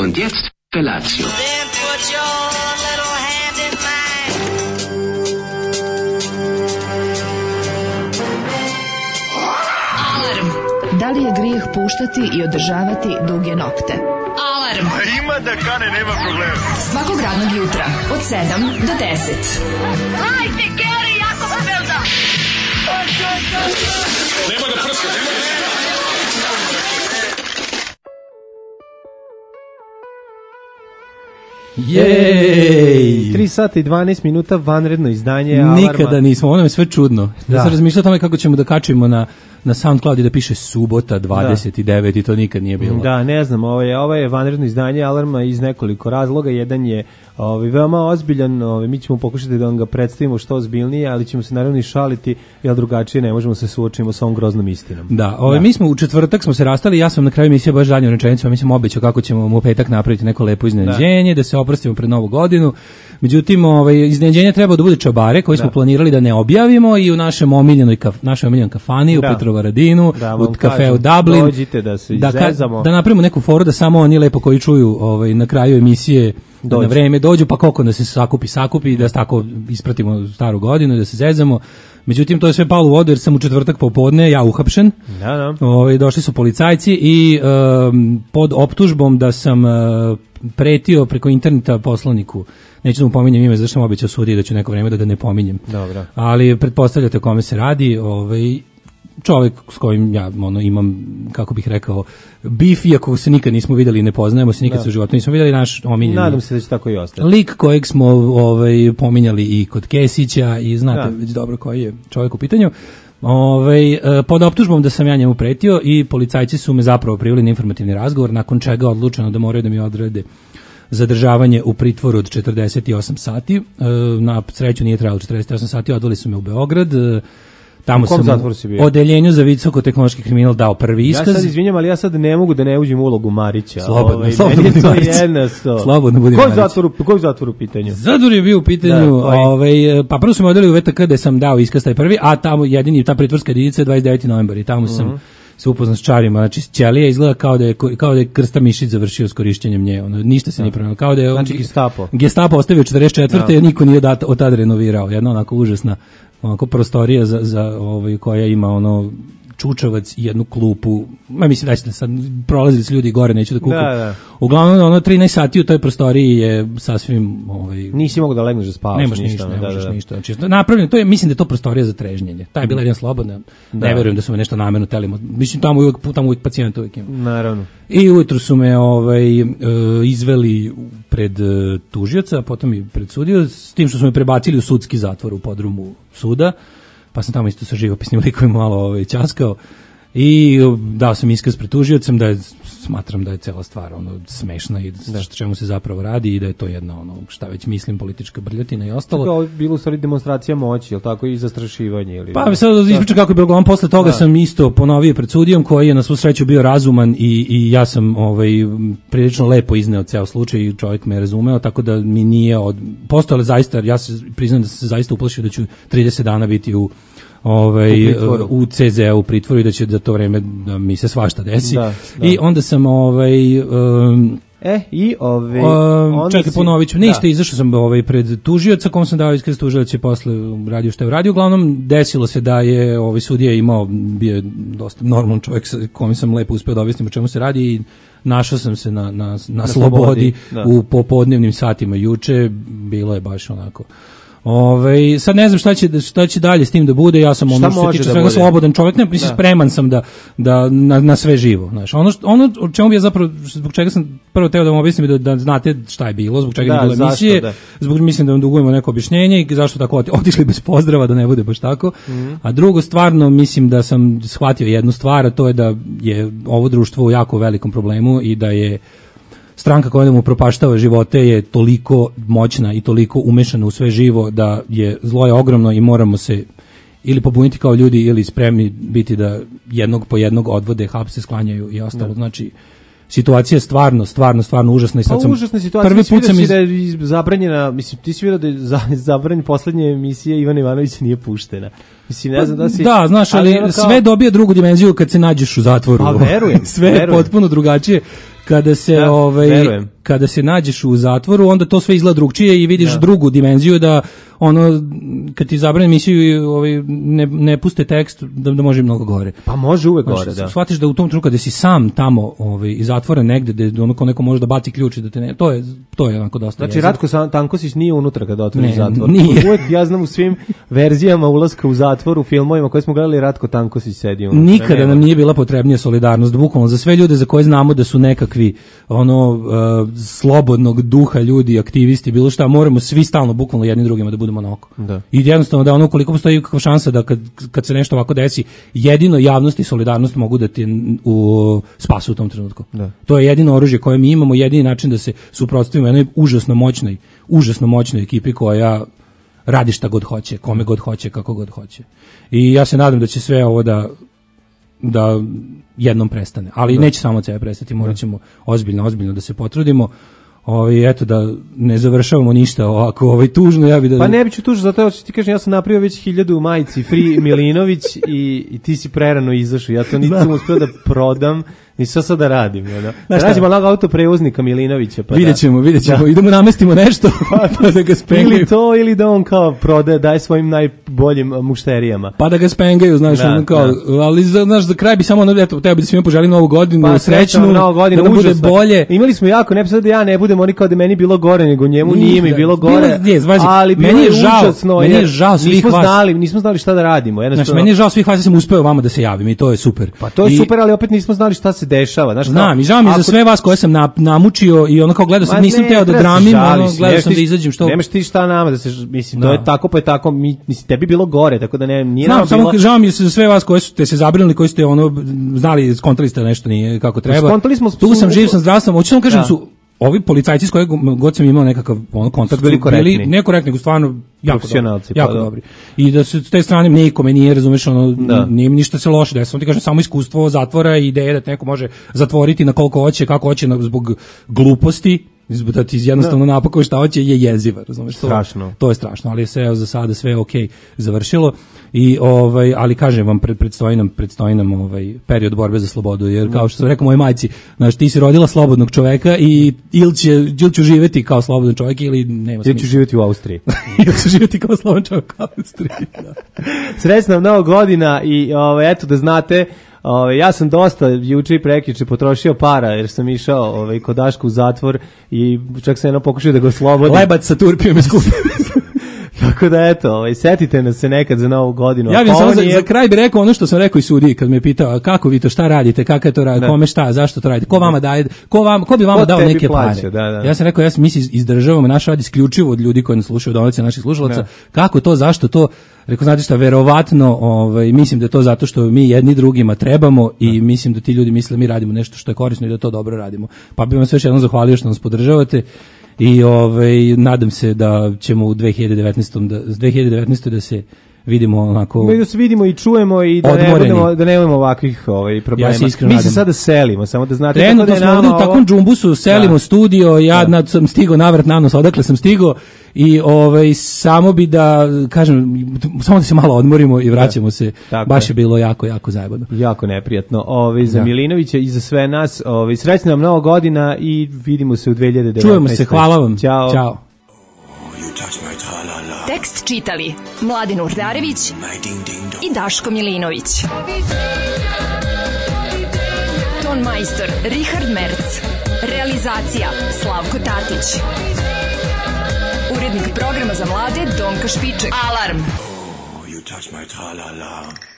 Und jetzt Felatio. Then put your little hand in mine. Alarm. Da li je grijeh puštati i održavati duge nokte? Alarm. Ima da kane, nema problema. Svakog radnog jutra od 7 do 10. Hajde, Geri, jako se velda. Nema da prska, nema da prska. Jej! 3 sata i 12 minuta, vanredno izdanje Alarma. Nikada nismo, ono je sve čudno. Da se razmišljao o tome kako ćemo da kačimo na SoundCloud i da piše subota 29 i to nikad nije bilo. Da, ne znam, ovo je vanredno izdanje Alarma iz nekoliko razloga. Jedan je veoma ozbiljan, mi ćemo pokušati da vam ga predstavimo što ozbiljnije, ali ćemo se naravno i šaliti, jer drugačije ne možemo se suočimo sa ovom groznom istinom. Da, mi smo u četvrtak smo se rastali, ja sam na kraju emisije baš zadnju rečenicu, mi sam obećao kako ćemo u petak napraviti neko lepo iznenađenje, da se oprostimo pred Novu godinu. Međutim, iznenađenje treba da bude čabare koji smo planirali da ne objavimo i u našem omiljenoj kafani u Petrovaradinu, u kafeu Dublin. Dođite da se izezamo. Da napravimo neku foru da samo oni lepo koji čuju na kraju emisije da na vreme dođu, pa koliko da se sakupi da tako ispratimo staru godinu i da se zezamo. Međutim, to je sve palo u vodu jer sam u četvrtak popodne ja uhapšen. Da. Došli su policajci i pod optužbom da sam pretio preko interneta poslaniku. Neću da mu pominjem ime, zašto sam obećao sudiji da ću neko vreme da ga ne pominjem. Dobro. Ali pretpostavljate o kome se radi, čovjek s kojim ja imam, kako bih rekao, bif, iako se nikad nismo vidjeli i ne poznajemo se, nikad se u životu nismo vidjeli, naš omiljeni. Nadam se da će tako i ostati. Lik kojeg smo pominjali i kod Kesića i znate već dobro koji je čovjek u pitanju. Pod optužbom da sam ja njemu pretio i policajci su me zapravo priveli na informativni razgovor, nakon čega je odlučeno da moraju da mi odrede zadržavanje u pritvoru od 48 sati. Na sreću nije trajalo 48 sati, odveli su me u Beograd. Tamo sam u odeljenju za visokotehnološki kriminal dao prvi iskaz. Ja sad izvinjam, ali ja sad ne mogu da ne uđem u ulogu Marića. Slobodno budi Marić. Slobodno budi Marić. Koji zatvor u pitanju? Zatvor je bio u pitanju, pa prvo su me odveli u VTK gde sam dao iskaz taj prvi, a tamo jedini ta pritvorska jedinica je 29. novembar i tamo sam se upoznao s čarima, znači ćelija izgleda kao da je Krsta Mišić završio s korišćenjem nje, ništa se nije promenilo, kao da je znači Gestapo ostavio 44. Niko nije od tada renovirao, jedna onako užasna prostorija za koja ima čučavac i jednu klupu. Mislim da ćete sad prolazili s ljudi gore, neću da kukam. Da. Uglavnom 13 sati u toj prostoriji je sasvim nisi mogao da legneš da spavaš. Ne možeš ništa. Znači napravljeno, mislim da je to prostorija za trežnjenje. Ta je bila jedna slobodna. Ne verujem da su me nešto namerno teli. Mislim tamo uvijek pacijent uvijek ima. Naravno. I ujutru su me izveli pred tužioca, potom i pred sudiju, s tim što su me prebacili u sudski zatvor u podrumu suda. Pa sam tamo isto sa živopisnim likovima malo ćaskao i dao sam iskaz pred tužiocem da smatram da je cela stvar smešna i čemu se zapravo radi i da je to jedna šta već mislim politička brljotina i ostalo. Tako je bilo u stvari demonstracija moći, je li tako, i zastrašivanje? Ili... Pa sad ispričam kako je bilo, uglavnom posle toga sam isto ponovio pred sudijom koji je na svu sreću bio razuman i ja sam prilično lepo izneo ceo slučaj i čovjek me razumeo, tako da mi nije postojale zaista, ja se priznam da sam se zaista uplašio da ću 30 dana biti u CZ-u u pritvoru i da će za to vreme da mi se svašta desi. Da. I onda sam čekaj, ponovit ću. Ništa, izašao sam pred tužioca, kom sam dao iskaz, tužilac je posle radio što je uradio. Uglavnom, desilo se da je sudija bio je dosta normalan čovjek sa kojim sam lepo uspeo da objasnim o čemu se radi i našao sam se na slobodi u popodnevnim satima juče. Bilo je baš onako... sad ne znam šta će dalje s tim da bude, ja sam što se tiče svega slobodan čovjek, spreman sam da na sve živo, znaš. Ono o čemu bi ja zapravo, zbog čega sam prvo teo da vam objasnim da znate šta je bilo, zbog čega je bilo emisije, mislim da vam dugujemo neko objašnjenje i zašto tako otišli bez pozdrava, da ne bude baš tako. A drugo, stvarno mislim da sam shvatio jednu stvar, a to je da je ovo društvo u jako velikom problemu i da je stranka koja nam upropaštava živote je toliko moćna i toliko umešana u sve živo da je zlo je ogromno i moramo se ili pobuniti kao ljudi ili spremni biti da jednog po jednog odvode, hapse, sklanjaju i ostalo. Znači, situacija je stvarno užasna i sad sam užasna situacija. Prvi put sam da je zabranjena, mislim, ti si vidio da je zabranjena poslednja emisija Ivana Ivanovića nije puštena. Mislim, ne znam da si... Da, znaš, ali sve dobije drugu dimenziju kad se nađeš u zatvoru. Pa verujem. Sve je potpuno drugačije kada se nađeš u zatvoru, onda to sve izgleda drugčije i vidiš drugu dimenziju da ono, kad ti zabrane emisiju ne puste tekst, da može mnogo gore. Pa može uvek gore, da. Shvatiš da u tom trenutku kada si sam tamo iz zatvora negde, da ono ko neko može da baci ključ i da te ne... To je onako dosta. Znači, Ratko Tankosić nije unutra kada otvori zatvor. Nije. Uvek, ja znam u svim verzijama ulaska u zatvor, u filmovima koje smo gledali, Ratko Tankosić sedi unutra. Nikada nam nije bila potrebnija solidarnost, bukvalno za sve ljude za koje znamo da su nekakvi slobodnog duha ljudi, aktivisti, bilo šta, moramo svi stalno bukvalno jedni drugima da budemo na oko. Da. I jednostavno da ono koliko postoji kakva šansa da kad se nešto ovako desi, jedino javnost i solidarnost mogu da ti spasu u tom trenutku. Da. To je jedino oružje koje mi imamo, jedini način da se suprotstavimo jednoj užasno moćnoj ekipi koja radi šta god hoće, kome god hoće, kako god hoće. I ja se nadam da će sve ovo da jednom prestane. Ali neće samo od sebe prestati, morat ćemo ozbiljno da se potrudimo. Eto da ne završavamo ništa ovako tužno, ja bih da... Pa ne biću tužno, zato što ti kažem, ja sam napravio već 1000 majici Free Milinović i ti si prerano izašao, ja to nisam uspio da prodam, nisam sad da radim. Da radim onog autoprevoznika Milinovića. Pa vidjet ćemo, idemo namestimo nešto pa da ga spengaju. Ili to, ili da on kao prodaje, daje svojim najboljim mušterijama. Pa da ga spengaju, znaš, ali znaš, za kraj bi samo, eto, tebi da svima poželim novu godinu, srećnu, da nam bude bolje. Imali smo jako, ne sad da ja ne budem, oni kao da meni bilo gore, nego njemu nije mi bilo gore, ali bilo je užasno. Meni je žao svih vas. Nismo znali šta da radimo. Znaš, meni je žao svih vas, ja sam uspeo vama da se javim i to je super. Pa to je super, ali opet nismo znali šta se dešava. Znam, i žao mi za sve vas koje sam namučio i ono kao gledao sam, nisam teo da dramim, gledao sam da izađem što... Nemaš ti šta nama da se, mislim, to je tako pa je tako, mislim, tebi bilo gore, tako da nije nama bilo... Samo žao mi za sve vas koje ste se zabrinuli, koji ste znali, skontali ste nešto nije kako treba. Skontali smo... Tu sam, živ sam, zdrav sam, hoću sam kažem su... Ovi policajci s kojeg god sam imao nekakav kontakt bili korektni. Ne korektni, nego stvarno jako pa dobri. I da se s te strane nikome nije, razumeš, nije ništa se loše desilo. Ti kažem, samo iskustvo zatvora i ideja da te neko može zatvoriti na koliko hoće, kako hoće, zbog gluposti, da ti jednostavno napakuje šta hoće, je jeziva, razumeš? Strašno. To je strašno, ali sve za sada sve okej završilo. I ali kažem vam, predstoji nam period borbe za slobodu, jer kao što sam rekao mojoj majci, znaš, ti si rodila slobodnog čoveka i ili ću živeti kao slobodan čovjek ili nema smisla. Ili ću živeti u Austriji. Ili ću živeti kao slobodan čovjek u Austriji. Srećna vam Nova godina i eto da znate, ja sam dosta juče i prekjuče potrošio para jer sam išao kod Daška u zatvor i čak sam pokušao da ga oslobodim. Lebac sa turpijom je skupio. Tako da eto, setite nas se nekad za Novu godinu. Ja bih samo za kraj bih rekao ono što sam rekao i sudiji kad me pitao kako vi to, šta radite, kako je to radi, kome šta, zašto to radite, ko vama daje, ko bi vama dao neke pare. Da. Ja sam rekao, mi se izdržavamo, naš rad isključivo od ljudi koji nas slušaju, donacije naših slušalaca. Kako to, zašto to? Rekao, znate šta, verovatno, mislim da je to zato što mi jedni drugima trebamo i mislim da ti ljudi misle da mi radimo nešto što je korisno i da to dobro radimo. Pa bih vam sve još jednom zahvalio što nas podržavate. I nadam se da ćemo u 2019. da se vidimo onako... Da se vidimo i čujemo i da nemamo ovakvih problema. Ja se iskreno mi se sada selimo, samo da znate. Trenutno smo ovdje u takvom džumbusu, selimo studio, ja sam stigao navrat nanos, odakle sam stigao i samo bi da kažem, samo da se malo odmorimo i vraćamo se. Baš je bilo jako zajebano. Jako neprijatno. Za Milinovića i za sve nas, srećna nam Nova godina i vidimo se u 2019. Čujemo se, hvala vam. Ćao. Tekst čitali Mladin Urdarević i Daško Milinović. Ton majstor Richard Merc. Realizacija Slavko Tatić. Urednik programa za mlade Donka Špiček. Alarm! You touch my tra-la-la.